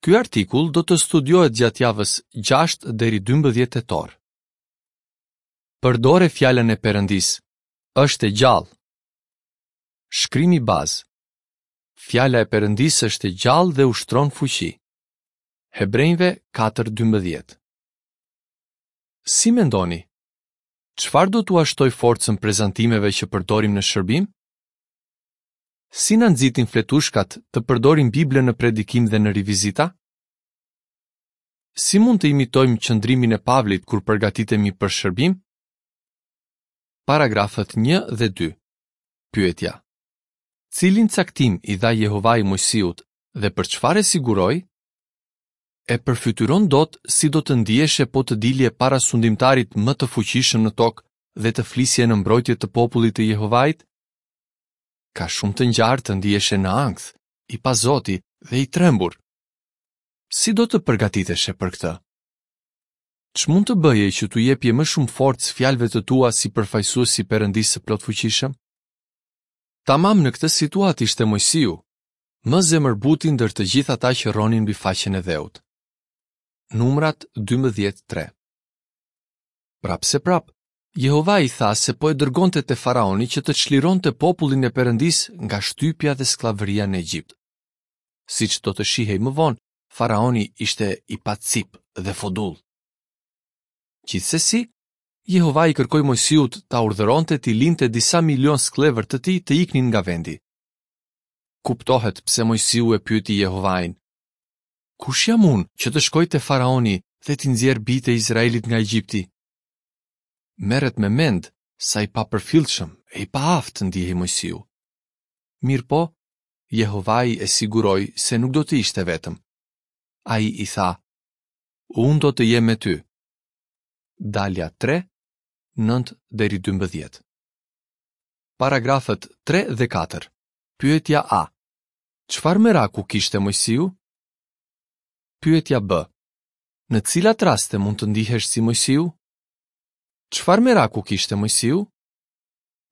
Ky artikull do të studiohet gjatë javës 6 deri 12 tetor. Përdore fjalën e Perëndisë. Është e gjallë. Shkrimi bazë. Fjala e Perëndisë është e gjallë dhe ushtron fuqi. Hebrenjve 4:12. Si mendoni? Çfarë do t'ua shtojë forcën prezantimeve që përdorim në shërbim? Si na nxitin fletushkat të përdorim Biblën në predikim dhe në rivizita? Si mund të imitojmë qëndrimin e Pavlit kur përgatitemi për shërbim? Paragrafët 1 dhe 2. Pyetja. Cilin caktim i dha Jehovai Moisiut dhe për çfarë e siguroi? E përfytyron dot si do të ndiheshe po të dilje para sundimtarit më të fuqishëm në tokë dhe të flisje në mbrojtje të popullit të Jehovait? Ka shumë të ngjarë të ndiheshe në ankth, i pazoti dhe i trembur. Si do të përgatiteshe për këtë? Ç'mund të bëje që t'u jepje më shumë forcë fjalëve të tua si përfaqësues i Perëndisë së Plotfuqishëm? Tamam në këtë situatë ishte Moisiu, më zemërbuti ndër të gjithë ata që rronin mbi faqen e dheut. Numrat 12:3. Prapëseprapë, Jehovai i tha se po e dërgonte te faraoni që të çlironte popullin e Perëndisë nga shtypja dhe skllavëria në Egjipt. Siç do të shihej më vonë, faraoni ishte i pacipë dhe fodull. Gjithsesi, Jehovai i kërkoi Moisiut ta urdhëronte t'i linte disa milionë skllevër të tij të iknin nga vendi. Kuptohet pse Moisiu e pyeti Jehovain, Kush jam unë që të shkoj te faraoni dhe t'i nxjerr bijtë e Izraelit nga Egjipti? Merret me mend sa i papërfillshëm e i paaftë ndihej Moisiu. Mirëpo, Jehovai e siguroi se nuk do të ishte vetëm. Ai i tha, Unë do të jem me ty. Dalja 3, 9 deri 12. Paragrafët 3 dhe 4. Pyetja A. Çfarë meraku kishte Moisiu? Pyetja B. Në cilat raste mund të ndihesh si Moisiu? Çfarë meraku kishte Moisiu?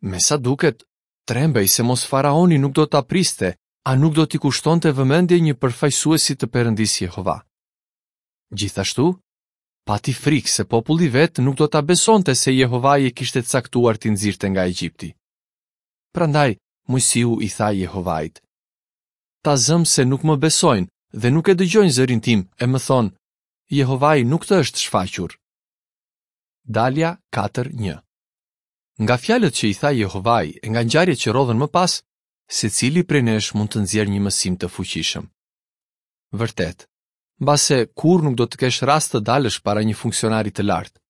Me sa duket, trembej se mos faraoni nuk do ta priste, a nuk do t'i kushtonte vëmendje një përfaqësuesi të Perëndisë Jehova. Gjithashtu, pati frikë se populli i vet nuk do ta besonte se Jehovai e kishte caktuar t'i nxirrte nga Egjipti. Prandaj, Moisiu i tha Jehovait, Ta zëmë se nuk më besojnë dhe nuk e dëgjojnë zërin tim e më thonë, Jehovai nuk të është shfaqur. Dalja 4.1 Nga fjalët që i tha Jehovai e nga ngjarjet që rrodhën më pas, secili prej nesh mund të nxjerrë një mësim të fuqishëm. Vërtet, mbase kurrë nuk do të kesh rast të dalësh para një funksionari të lartë.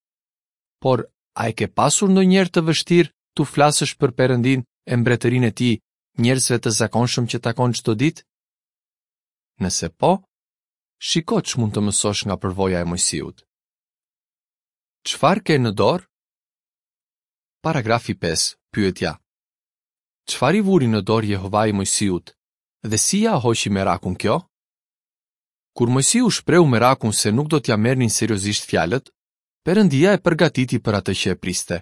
Por, a e ke pasur ndonjëherë të vështirë t'u flasësh për Perëndinë e mbretërinë e tij njerëzve të zakonshëm që takon çdo ditë? Nëse po, shiko ç'mund të mësosh nga përvoja e Moisiut. Çfarë ke në dorë? Paragrafi 5, pyetja. Çfarë i vuri në dorë Jehovai Moisiut dhe si ia hoqi merakun kjo? Kur Moisiu shprehu merakun se nuk do t'ia merrnin seriozisht fjalët, Perëndia e përgatiti për atë që e priste.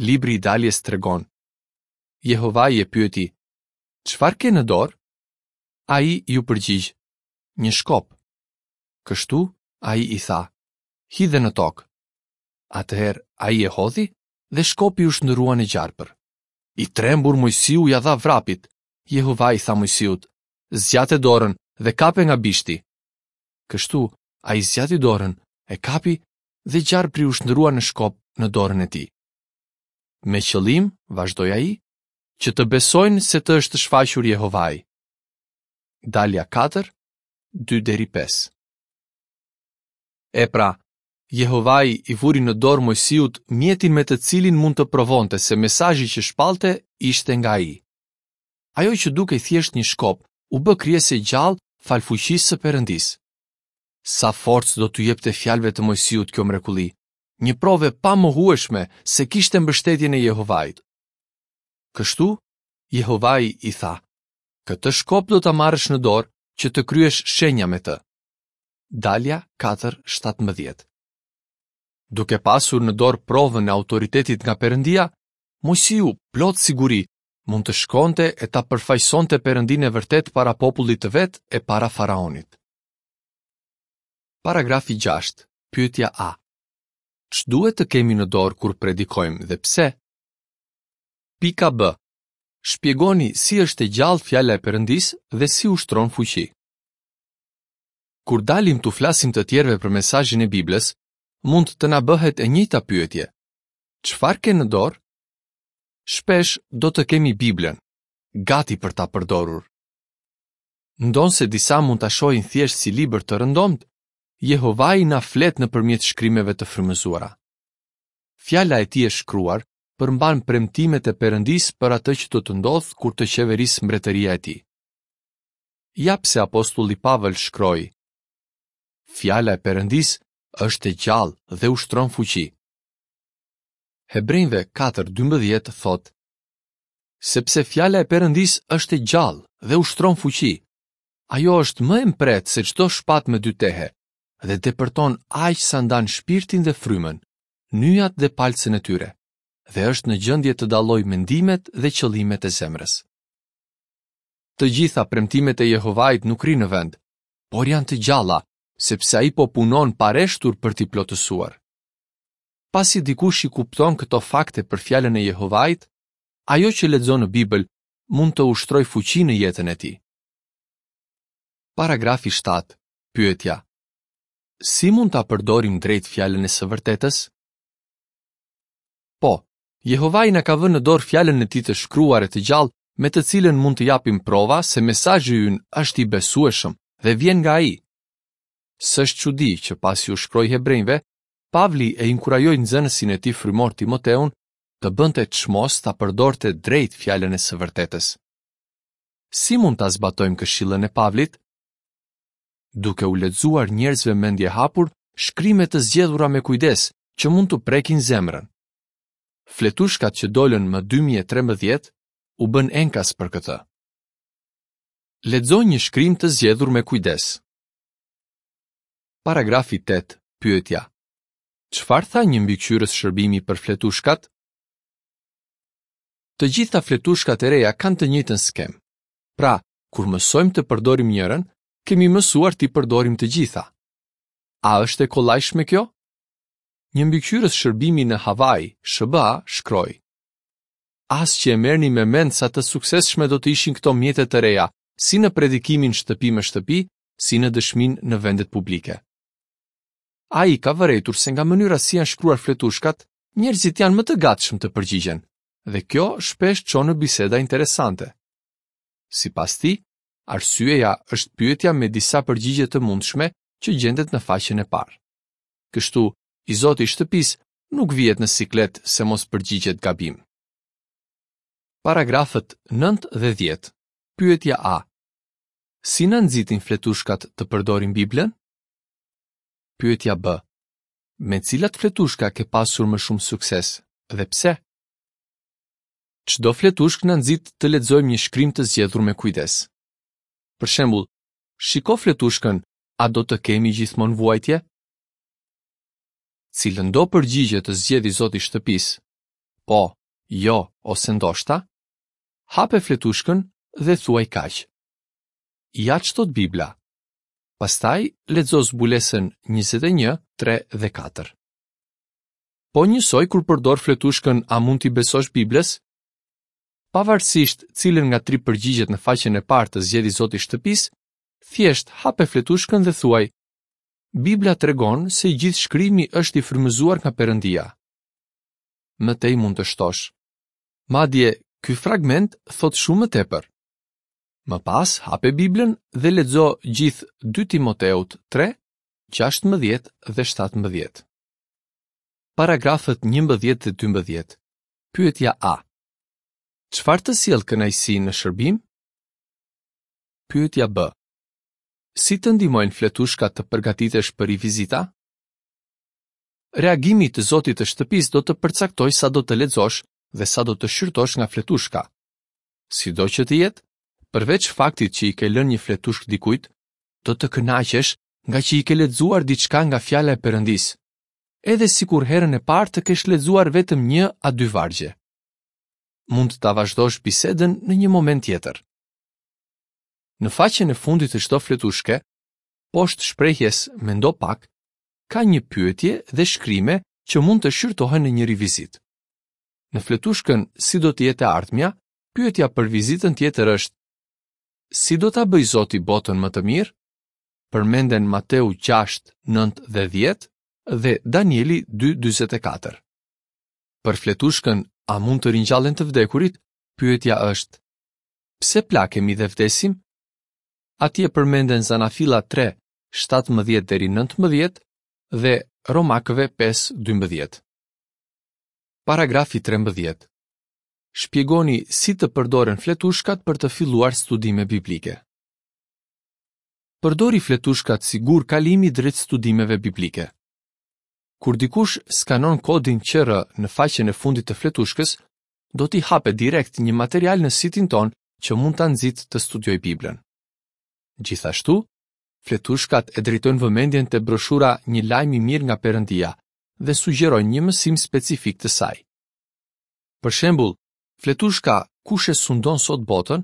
Libri i Daljes tregon. Jehovai e pyeti, Çfarë ke në dorë? Ai iu përgjigj, Një shkop. Kështu, ai i tha, Hidhe në tokë. Atëherë ai e hodhi dhe shkopi u shndërrua në gjarpër. I trembur Moisiu ia dha vrapit. Jehovai i tha Moisiut, Zgjate dorën dhe kape nga bishti. Kështu, ai zgjati dorën, e kapi dhe gjarpri u shndërrua në shkop në dorën e tij. Me qëllim, vazhdoi ai, që të besojnë se të është shfaqur Jehovai. Dalja 4, 2 deri 5. E pra, Jehovai i vuri në dorë Moisiut mjetin me të cilin mund të provonte se mesazhi që shpallte ishte nga ai. Ajo që dukej thjesht një shkop, u bë krijesë e gjallë falë fuqisë së Perëndisë. Sa forcë do t'u jepte fjalëve të Moisiut kjo mrekulli, një provë e pamohueshme se kishte mbështetjen e Jehovait. Kështu, Jehovai i tha, Këtë shkop do ta marrësh në dorë që të kryesh shenja me të. Dalja 4:17. Duke pasur në dorë provën e autoritetit nga Perëndia, Moisiu, plot siguri, mund të shkonte e ta përfaqësonte Perëndinë e vërtetë para popullit të vet e para faraonit. Paragrafi 6, pyetja A. Ç'duhet të kemi në dorë kur predikojmë dhe pse? Pika B. Shpjegoni si është e gjallë fjala e Perëndisë dhe si ushtron fuqi. Kur dalim t'u flasim të tjerëve për mesazhin e Biblës, mund të na bëhet e njëjta pyetje. Çfarë ke në dorë? Shpesh do të kemi Biblën, gati për ta përdorur. Ndonëse disa mund ta shohin thjesht si libër të rëndomtë, Jehovai na flet nëpërmjet shkrimeve të frymëzuara. Fjala e tij e shkruar përmban premtimet e Perëndisë për atë që do të ndodhë kur të qeverisë mbretëria e tij. Ja pse apostulli Pavël shkroi: Fjala e Perëndisë është e gjallë dhe ushtron fuqi. Hebrenjve 4:12 thotë: Sepse fjala e Perëndisë është e gjallë dhe ushtron fuqi. Ajo është më e mprehtë se çdo shpatë me dy tehe dhe depërton aq sa ndan shpirtin dhe frymën, nyjat dhe palcën e tyre, dhe është në gjendje të dallojë mendimet dhe qëllimet e zemrës. Të gjitha premtimet e Jehovait nuk rrinë në vend, por janë të gjalla, sepse ai po punon pareshtur për t'i plotësuar. Pasi dikush i kupton këto fakte për fjalën e Jehovait, ajo që lexon në Bibël mund të ushtrojë fuqi në jetën e tij. Paragrafi 7. Pyetja: Si mund ta përdorim drejt fjalën e së vërtetës? Po, Jehovai na ka vënë në dorë fjalën e tij të shkruar e të gjallë me të cilën mund të japim prova se mesazhi ynë është i besueshëm dhe vjen nga ai. S'është çudi që pasi u shkroi hebrenjve, Pavli e inkurajoi nxënësin e tij frymor Timoteun të bënte çmos ta përdorte drejt fjalën e së vërtetës. Si mund ta zbatojmë këshillën e Pavlit? Duke u lexuar njerëzve mendjehapur shkrime të zgjedhura me kujdes që mund t'u prekin zemrën. Fletushkat që dolën më 2013 u bënë enkas për këtë. Lexo një shkrim të zgjedhur me kujdes. Paragrafi 8, pyetja. Çfarë tha një mbikëqyrës shërbimi për fletushkat? Të gjitha fletushkat e reja kanë të njëjtën skemë. Pra, kur mësojmë të përdorim njërën, kemi mësuar t'i përdorim të gjitha. A është e kollajshme kjo? Një mbikëqyrës shërbimi në Hawaii, SHBA, shkroi: As që e merrni me mend sa të suksesshme do të ishin këto mjete të reja, si në predikimin shtëpi më shtëpi, si në dëshminë në vendet publike. Ai ka vërejtur se nga mënyra si janë shkruar fletushkat, njerëzit janë më të gatshëm të përgjigjen, dhe kjo shpesh çon në biseda interesante. Sipas tij, arsyeja është pyetja me disa përgjigje të mundshme që gjendet në faqen e parë. Kështu, i zoti i shtëpisë nuk vihet në siklet se mos përgjigjet gabim. Paragrafët 9 dhe 10. Pyetja A. Si na nxitin fletushkat të përdorim Biblën? Pyetja B. Me cilat fletushka ke pasur më shumë sukses dhe pse? Çdo fletushkë na nxit të lexojmë një shkrim të zgjedhur me kujdes. Për shembull, shiko fletushkën A do të kemi gjithmonë vuajtje? Cilëndo përgjigje të zgjedhë i zoti i shtëpisë, po, jo ose ndoshta, hape fletushkën dhe thuaj kaq. Ja ç'thotë Bibla. Pastaj lexo Zbulesën 21, 3 dhe 4. Po njësoj kur përdor fletushkën A mund t'i besosh Biblës? Pavarësisht cilën nga tri përgjigjet në faqen e parë të zgjedhë i zoti i shtëpisë, thjesht hape fletushkën dhe thuaj Bibla tregon se i gjithë shkrimi është i frymëzuar nga Perëndia. Më tej mund të shtosh. Madje, ky fragment thotë shumë më tepër. Më pas, hape Biblën dhe lexo gjithë 2 Timoteut 3, 16 dhe 17. Paragrafët 11 dhe 12. Pyetja A. Çfarë të sjell kënaqësi në shërbim? Pyetja B. Si të ndihmojnë fletushkat të përgatitesh për rivizita? Reagimi i të zotit të shtëpisë do të përcaktojë sa do të lexosh dhe sa do të shqyrtosh nga fletushka. Sido që të jetë, përveç faktit që i ke lënë një fletushkë dikujt, do të kënaqesh ngaqë i ke lexuar diçka nga fjala e Perëndisë, edhe sikur herën e parë të kesh lexuar vetëm një a dy vargje. Mund ta vazhdosh bisedën në një moment tjetër. Në faqen e fundit të çdo fletushke, Poshtë shprehjes Mendo pak, ka një pyetje dhe shkrime që mund të shqyrtohen në një rivizitë. Në fletushkën Si do të jetë e ardhmja, pyetja për vizitën tjetër është Si do ta bëjë Zoti botën më të mirë? Përmenden Mateu 6, 9 dhe 10 dhe Danieli 2, 44. Për fletushkën A mund të ringjallen të vdekurit? Pyetja është Pse plakemi dhe vdesim? Atje përmenden Zanafilla 3, 17 deri 19 dhe Romakëve 5, 12. Paragrafi 13. Shpjegoni si të përdoren fletushkat për të filluar studime biblike. Përdori fletushkat si gur kalimi drejt studimeve biblike. Kur dikush skanon kodin QR në faqen e fundit të fletushkës, do t'i hapet direkt një material në sitin tonë që mund ta nxitë të studiojë Biblën. Gjithashtu, fletushkat e drejtojnë vëmendjen te broshura Një lajm i mirë nga Perëndia dhe sugjerojnë një mësim specifik të saj. Për shembull, fletushka Kush e sundon sot botën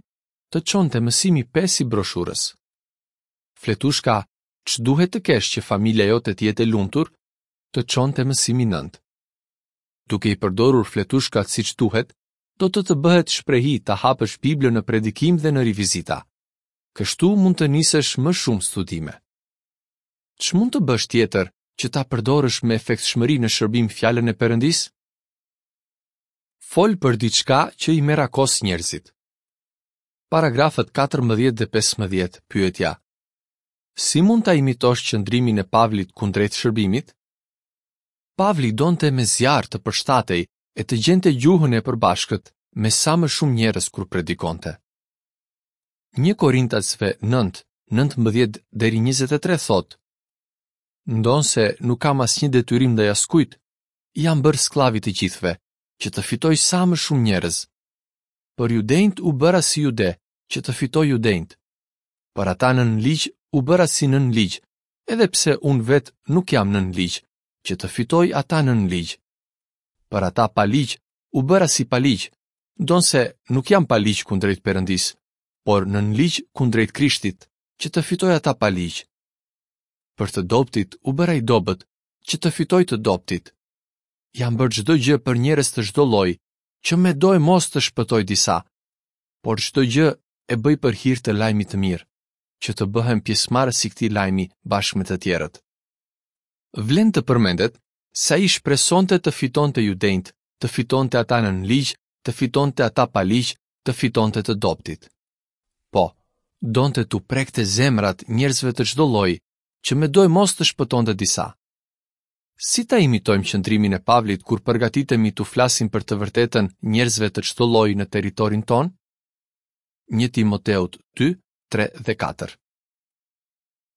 të çon te mësimi 5 i broshurës. Fletushka Ç'duhet të kesh që familja jote të jetë e lumtur të çon te mësimi 9. Duke i përdorur fletushkat siç duhet, do të të bëhet shprehi ta hapësh Biblën në predikim dhe në rivizita. Kështu mund të nisësh më shumë studime. Ç'mund të bësh tjetër që ta përdorësh me efektshmëri në shërbim fjalën e Perëndisë? Fol për diçka që i merakos njerëzit. Paragrafët 14 dhe 15, pyetja: Si mund ta imitosh qëndrimin e Pavlit kundrejt shërbimit? Pavli donte me zjarr të përshtatej e të gjente gjuhën e përbashkët me sa më shumë njerëz kur predikonte. 1 Korintasve 9, 19 deri 23 thotë: Ndonëse nuk kam asnjë detyrim ndaj askujt, jam bërë skllav i të gjithëve, që të fitoj sa më shumë njerëz. Për judenjtë u bëra si jude, që të fitoj judenjtë. Për ata nën ligj u bëra si nën ligj, edhe pse unë vetë nuk jam nën ligj, që të fitoj ata nën ligj. Për ata pa ligj, u bëra si pa ligj, ndonëse nuk jam pa ligj kundrejt Perëndisë, por nën ligj kundrejt Krishtit, që të fitoj ata pa ligj. Për të dobëtit u bëra i dobët, që të fitoj të dobëtit. Jam bërë çdo gjë për njerëz të çdo lloji, që medoemos të shpëtoj disa, por çdo gjë e bëj për hir të lajmit të mirë, që të bëhem pjesëmarrës i këtij lajmi bashkë me të tjerët. Vlen të përmendet se ai shpresonte të fitonte judenjtë, të fitonte ata nën ligj, të fitonte ata pa ligj, të fitonte të dobëtit. Po, donte t'u prekte zemrat njerëzve të çdo lloji, që medoemos të shpëtonte disa. Si ta imitojmë qëndrimin e Pavlit kur përgatitemi t'u flasim për të vërtetën njerëzve të çdo lloji në territorin tonë? 1 Timoteut 2, 3 dhe 4.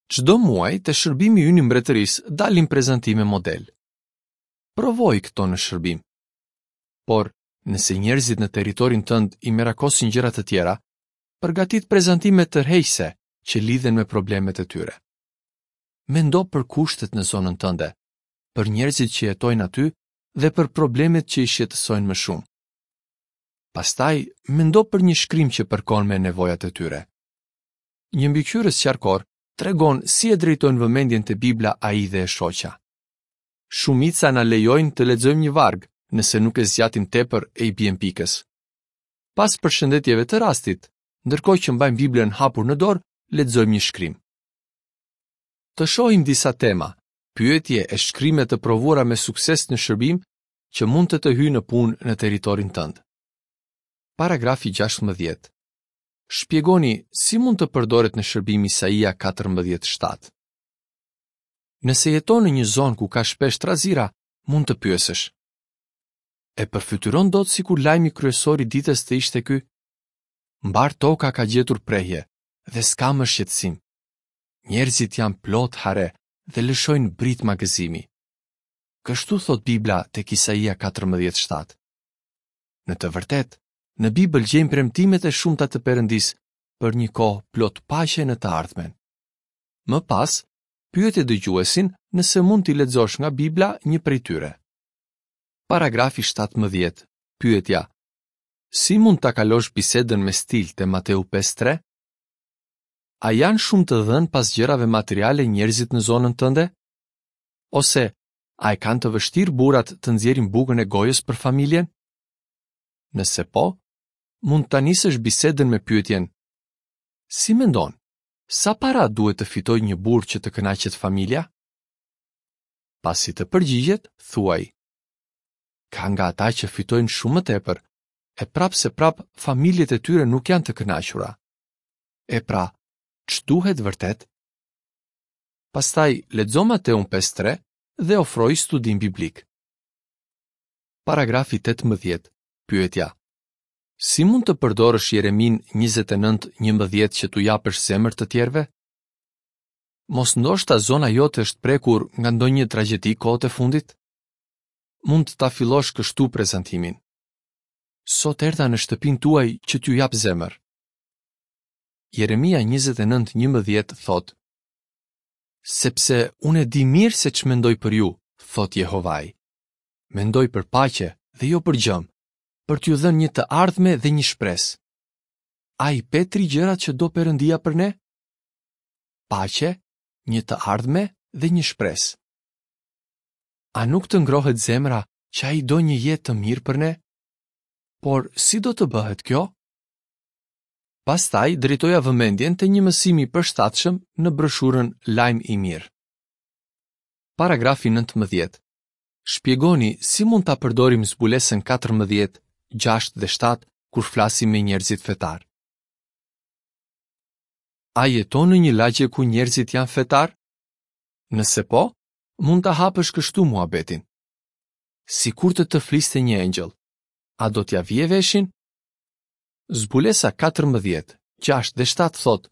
Çdo muaj te shërbimi ynë i mbretërisë dalin prezantime model. Provoji këto në shërbim. Por, nëse njerëzit në territorin tënd i merakosin gjëra të tjera, përgatit prezantime tërheqëse që lidhen me problemet e tyre. Mendo për kushtet në zonën tënde, për njerëzit që jetojnë aty dhe për problemet që i shqetësojnë më shumë. Pastaj, mendo për një shkrim që përkon me nevojat e tyre. Një mbikëqyrës qarkor tregon si e drejtojnë vëmendjen te Bibla ai dhe e shoqja. Shumica na lejojnë të lexojmë një varg, nëse nuk e zgjatim tepër e i biem pikës. Pas përshëndetjeve të rastit, ndërkohë që mbajmë Biblën hapur në dorë, lexojmë një shkrim. Të shohim disa tema, pyetje e shkrime të provuara me sukses në shërbim që mund të të hyjnë në punë në territorin tënd. Paragrafi 16. Shpjegoni si mund të përdoret në shërbim Isaia 14:7. Nëse jeton në një zonë ku ka shpesh trazira, mund të pyesësh. E përfytyron dot sikur lajmi kryesor i ditës të ishte ky? Mbarë toka ka gjetur prehje dhe s'ka më shqetësim. Njerëzit janë plot hare dhe lëshojnë britma gëzimi. Kështu thotë Bibla tek Isaia 14:7. Në të vërtetë, në Bibël gjejmë premtimet e shumta të Perëndisë për një kohë plot paqe në të ardhmen. Më pas, pyete dëgjuesin nëse mund t'i lexosh nga Bibla një prej tyre. Paragrafi 17. Pyetja: Si mund ta kalosh bisedën me stil te Mateu 5:3? A janë shumë të dhënë pas gjërave materiale njerëzit në zonën tënde? Ose a e kanë të vështirë burrat të nxjerrin bukën e gojës për familjen? Nëse po, mund ta nisësh bisedën me pyetjen: Si mendon, sa para duhet të fitojë një burrë që të kënaqet familja? Pasi të përgjigjet, thuaj: Ka nga ata që fitojnë shumë më tepër, e prapëseprapë familjet e tyre nuk janë të kënaqura. E pra, ç'duhet vërtet? Pastaj lexo Mateun 5:3 dhe ofroji studim biblik. Paragrafi 18. Pyetja: Si mund të përdorësh Jereminë 29:11 që t'u japësh zemër të tjerëve? Mos ndoshta zona jote është prekur nga ndonjë tragjedi kohët e fundit? Mund ta fillosh kështu prezantimin. Sot erdha në shtëpinë tuaj që t'ju jap zemër. Jeremia 29:11 thotë: Sepse unë e di mirë se ç'mendoj për ju, thotë Jehovai. Mendoj për paqe dhe jo për gjëmë, për t'ju dhënë një të ardhme dhe një shpresë. A i pe tri gjërat që do Perëndia për ne? Paqe, një të ardhme dhe një shpresë. A nuk të ngrohet zemra që ai do një jetë të mirë për ne? Por si do të bëhet kjo? Pastaj drejtoja vëmendjen te një mësim i përshtatshëm në broshurën Lajm i mirë. Paragrafi 19. Shpjegoni si mund ta përdorim zbulesën 14, 6 dhe 7 kur flasim me njerëzit fetarë. A jeton në një lagje ku njerëzit janë fetarë? Nëse po, mund ta hapësh kështu muhabetin. Sikur të të fliste një engjëll, a do t'ia vije veshin? Zbulesa 14, 6 dhe 7 thotë: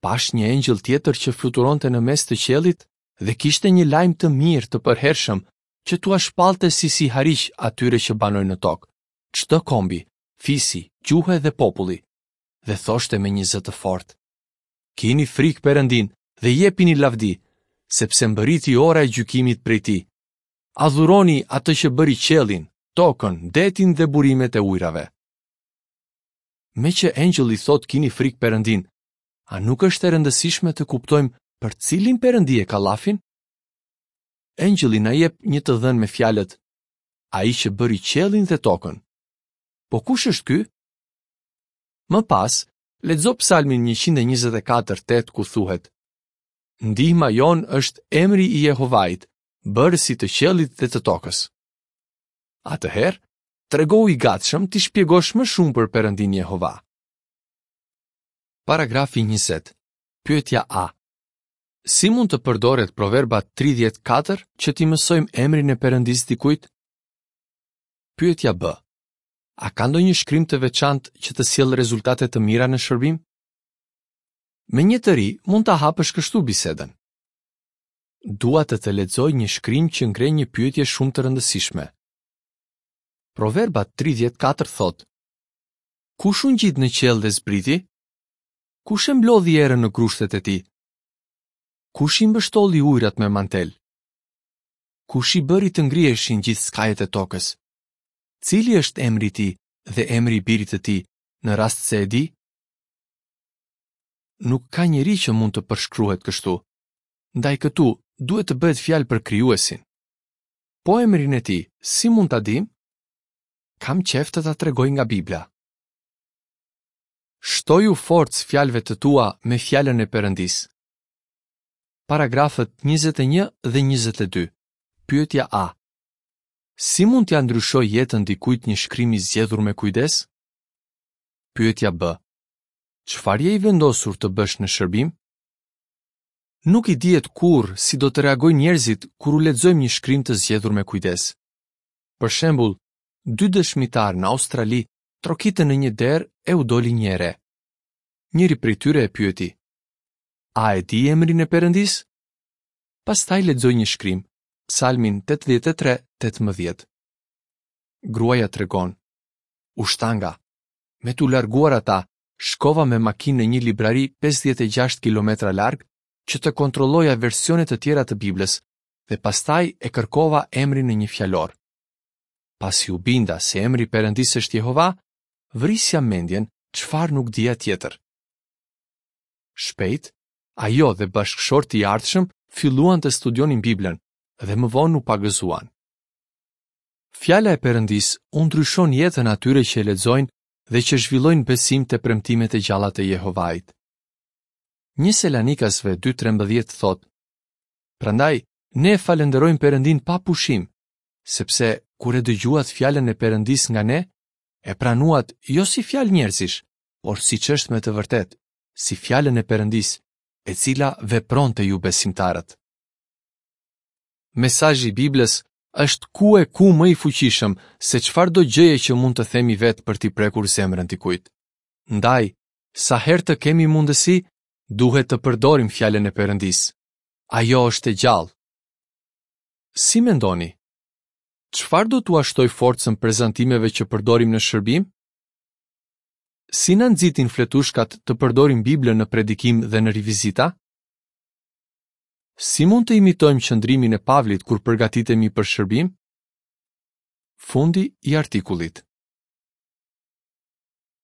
Pashë një engjëll tjetër që fluturonte në mes të qiellit dhe kishte një lajm të mirë të përhershëm që t'ua shpallte si sihariq atyre që banojnë në tokë, çdo kombi, fisi, gjuhe dhe populli, dhe thoshte me një zë të fortë: Kini frikë Perëndinë dhe jepini lavdi, sepse mbërriti ora e gjykimit prej tij. Adhuroni atë që bëri qiellin, tokën, detin dhe burimet e ujërave. Meqë engjëlli thotë kini frikë Perëndinë, a nuk është e rëndësishme të kuptojmë për cilin Perëndi e ka llafin? Engjëlli na jep një të dhënë me fjalët Ai që bëri qiellin dhe tokën. Po kush është ky? Më pas, lexo Psalmin 124:8 ku thuhet: Ndihma jonë është emri i Jehovait, bërësit të qiellit dhe të tokës. Atëherë, tregohu i gatshëm t'i shpjegosh më shumë për Perëndinë Jehova. Paragrafi 20. Pyetja A. Si mund të përdoret Proverbat 34 që t'i mësojmë emrin e Perëndisë dikujt? Pyetja B. A ka ndonjë shkrim të veçantë që të sjellë rezultate të mira në shërbim? Me një të ri mund ta hapësh kështu bisedën. Dua të të lexoj një shkrim që ngre një pyetje shumë të rëndësishme. Proverbat 34 thotë: Kush u ngjit në qiell dhe zbriti? Kush e mblodhi erën në grushtet e tij? Kush i mbështolli ujërat me mantel? Kush i bëri të ngriheshin gjithë skajet e tokës? Cili është emri i tij dhe emri i birit të tij, në rast se e di? Nuk ka njeri që mund të përshkruhet kështu. Ndaj këtu duhet të bëhet fjalë për krijuesin. Po emrin e tij, si mund ta dimë? Kam qejf të ta tregoj nga Bibla. Shtoju forcë fjalëve të tua me fjalën e Perëndisë. Paragrafët 21 dhe 22. Pyetja A. Si mund t'ia ndryshojë jetën dikujt një shkrim i zgjedhur me kujdes? Pyetja B. Çfarë je i vendosur të bësh në shërbim? Nuk i dihet kurrë si do të reagojnë njerëzit kur u lexojmë një shkrim të zgjedhur me kujdes. Për shembull, dy dëshmitarë në Australi trokitën në një derë e u doli një e re. Njëri prej tyre e pyeti: A e di emrin e Perëndisë? Pastaj lexoi një shkrim, Psalmin 83:18. Gruaja tregon: U shtanga. Me t'u larguar ata, shkova me makinë në një librari 56 kilometra larg që të kontrolloja versione të tjera të Biblës dhe pastaj e kërkova emrin në një fjalor. Pasi u binda se emri i Perëndisë është Jehova, vrisja mendjen çfarë nuk dija tjetër. Shpejt, ajo dhe bashkëshorti i ardhshëm filluan të studionin Biblën dhe më vonë u pagëzuan. Fjala e Perëndisë u ndryshon jetën atyre që e lexojnë dhe që zhvillojnë besim te premtimet e gjalla të Jehovait. 1 Selanikasve 2.13 thotë, Prandaj, ne e falënderojmë Perëndinë pa pushim, sepse kur e dëgjuat fjalën e Perëndisë nga ne, e pranuat jo si fjalë njerëzish, por siç është me të vërtetë, si fjalën e Perëndisë, e cila vepron te ju besimtarët. Mesazhi i Biblës është ku e ku më i fuqishëm se çfarëdo gjëje që mund të themi vetë për t'i prekur zemrën dikujt. Ndaj, sa herë të kemi mundësi, duhet të përdorim fjalën e Perëndisë. Ajo është e gjallë. Si mendoni? Çfarë do t'ua shtojë forcën prezantimeve që përdorim në shërbim? Si na nxitin fletushkat të përdorim Biblën në predikim dhe në rivizita? Si mund të imitojmë qëndrimin e Pavlit kur përgatitemi për shërbim? Fundi i artikullit.